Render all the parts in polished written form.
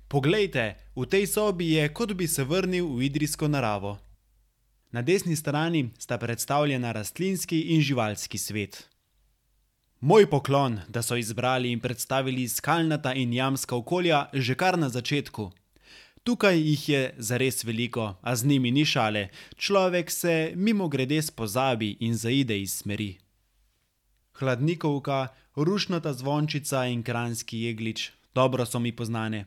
Poglejte, v tej sobi je, kot bi se vrnil v idrijsko naravo. Na desni strani sta predstavljena rastlinski in živalski svet. Moj poklon, da so izbrali in predstavili skalnata in jamska okolja že kar na začetku. Tukaj jih je zares veliko, a z njimi ni šale. Človek se mimogrede spozabi in zaide iz smeri. Hladnikovka, rušnata zvončica in kranjski jeglič. Dobro so mi poznane.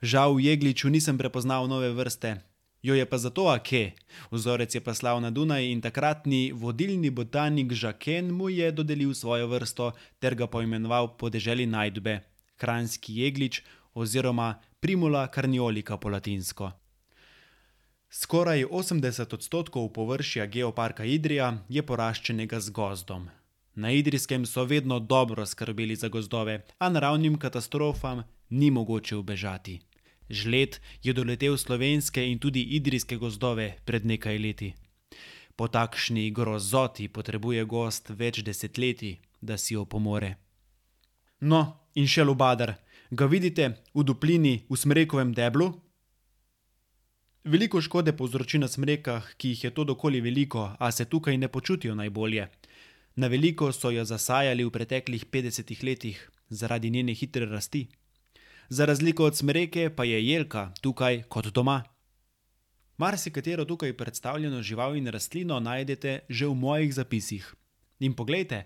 Žal v jegliču nisem prepoznal nove vrste. Jo je pa zato ake. Vzorec je poslal na Dunaj in takratni vodilni botanik Žaken mu je dodelil svojo vrsto ter ga poimenoval po deželi najdbe. Kranjski jeglič oziroma Primula carniolica po latinsko. Skoraj 80% površja geoparka Idrija je poraščenega z gozdom. Na Idrijskem so vedno dobro skrbeli za gozdove, a naravnim katastrofam ni mogoče ubežati. Žled je doletel slovenske in tudi idrijske gozdove pred nekaj leti. Po takšni grozoti potrebuje gozd več desetletij, da si opomore. No, in še lubadar. Ga vidite v duplini v smrekovem deblu? Veliko škode povzroči na smrekah, ki jih je to dokoli veliko, a se tukaj ne počutijo najbolje. Na veliko so jo zasajali v preteklih 50 letih, zaradi njene hitre rasti. Za razliko od smreke pa je jelka tukaj kot doma. Marsikatero tukaj predstavljeno žival in rastlino najdete že v mojih zapisih. In poglejte,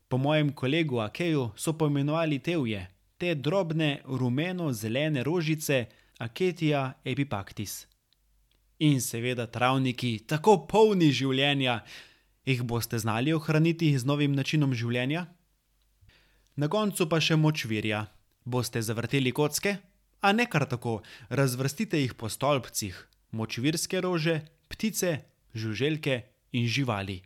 po mojem kolegu Akeju so poimenovali tevje, te drobne rumeno-zelene rožice Acacia epipactis. In seveda travniki, tako polni življenja. Jih boste znali ohraniti z novim načinom življenja? Na koncu pa še močvirja. Boste zavrteli kocke? A ne kar tako, razvrstite jih po stolpcih. Močvirske rože, ptice, žuželke in živali.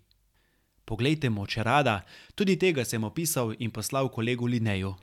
Poglejte močerada, tudi tega sem opisal in poslal kolegu Lineju.